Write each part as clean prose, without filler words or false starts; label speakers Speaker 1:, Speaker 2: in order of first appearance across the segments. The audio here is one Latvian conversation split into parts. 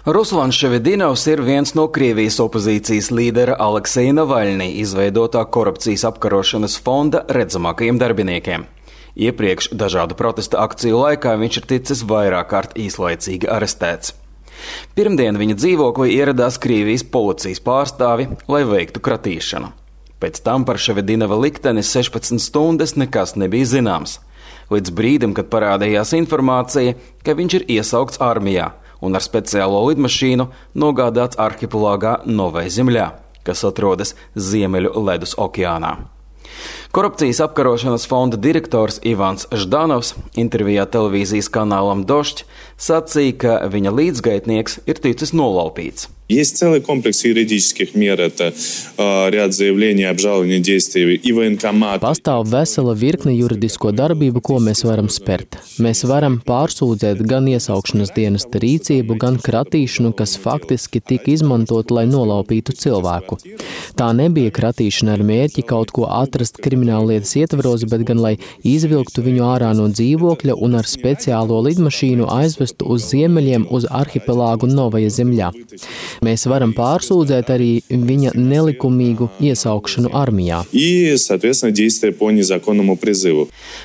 Speaker 1: Ruslans Ševedinovs ir viens no Krievijas opozīcijas līdera Alekseja Navaļņī izveidotā korupcijas apkarošanas fonda redzamākajiem darbiniekiem. Iepriekš dažādu protesta akciju laikā viņš ir ticis vairāk kārt īslaicīgi arestēts. Pirmdien viņa dzīvoklī ieradās Krievijas policijas pārstāvi, lai veiktu kratīšanu. Pēc tam par Ševedinova likteni 16 stundas nekas nebija zināms, līdz brīdim, kad parādījās informācija, ka viņš ir iesaukts armijā un ar speciālo lidmašīnu nogādāts arhipelāgā Novai Zemļā, kas atrodas Ziemeļu ledus okeānā. Korupcijas apkarošanas fonda direktors Ivans Ždanovs intervijā televīzijas kanālam Došķ sacīja, ka viņa līdzgaitnieks ir ticis nolaupīts.
Speaker 2: Есть целый комплекс юридических мер, это ряд заявлений, обжалования действий и военкомата.
Speaker 3: Pastāv vesela virkne juridisko darbību, ko mēs varam spērt. Mēs varam pārsūdzēt gan iesaukšanas dienesta rīcību, gan kratīšanu, kas faktiski tika izmantot, lai nolaupītu cilvēku. Tā nebija kratīšana ar mērķi kaut ko atrast krimināllietas ietvaros, bet gan lai izvilktu viņu ārā no dzīvokļa un ar speciālo lidmašīnu aizvestu uz ziemeļiem uz arhipelāgu Novaja Zemļā. Mēs varam pārsūdzēt arī viņa nelikumīgu iesaukšanu armijā.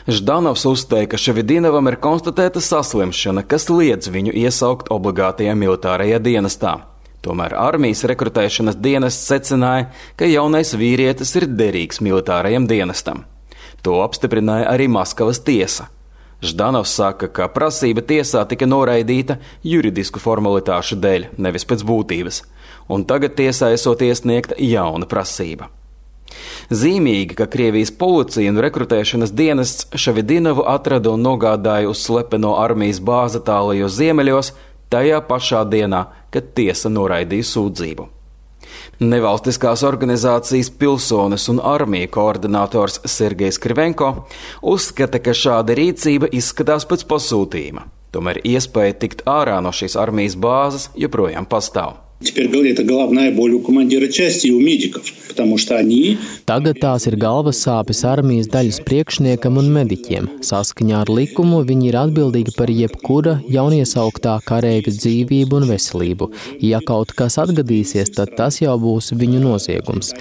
Speaker 1: Ždanovs uzstāja, ka Ševedinovam ir konstatēta saslimšana, kas liedz viņu iesaukt obligātajā militārajā dienestā. Tomēr armijas rekrutēšanas dienests secināja, ka jaunais vīrietis ir derīgs militārajam dienestam. To apstiprināja arī Maskavas tiesa. Ždanovs saka, ka prasība tiesā tika noraidīta juridisku formalitāšu dēļ, nevis pēc būtības, un tagad tiesā esot iesniegta jauna prasība. Zīmīgi, ka Krievijas policija un rekrutēšanas dienests Ševedinovu atrada un nogādāja uz slepeno armijas bāzi tālajos ziemeļos tajā pašā dienā, kad tiesa noraidīja sūdzību. Nevalstiskās organizācijas Pilsonis un armija koordinators Sergejs Krivenko uzskata, ka šāda rīcība izskatās pēc pasūtījuma. Tomēr iespēja tikt ārā no šīs armijas bāzes joprojām pastāv.
Speaker 3: Tagad tās ir galvas sāpes armijas daļas priekšniekam un mediķiem. Saskaņā ar likumu viņi ir atbildīgi par jebkura jauniesauktā kareivja dzīvību un veselību. Ja kaut kas atgadīsies, tad tas jau būs viņu noziegums.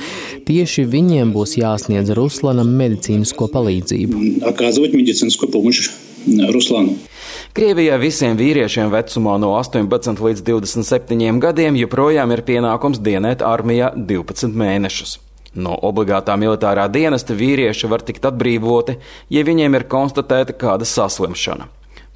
Speaker 3: Tieši viņiem būs jāsniedz Ruslanam medicīnisko palīdzību.
Speaker 1: Krievijā visiem vīriešiem vecumā no 18 līdz 27 gadiem joprojām ir pienākums dienēt armijā 12 mēnešus. No obligātā militārā dienesta vīrieši var tikt atbrīvoti, ja viņiem ir konstatēta kāda saslimšana.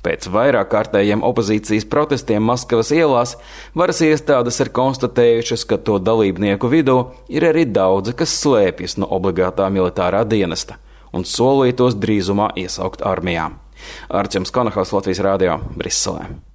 Speaker 1: Pēc vairāk kārtējiem opozīcijas protestiem Maskavas ielās varas iestādes ir konstatējušas, ka to dalībnieku vidū ir arī daudzi, kas slēpjas no obligātā militārā dienesta un solītos drīzumā iesaukt armijā. Artjoms Konahaus, Latvijas radio, Briselē.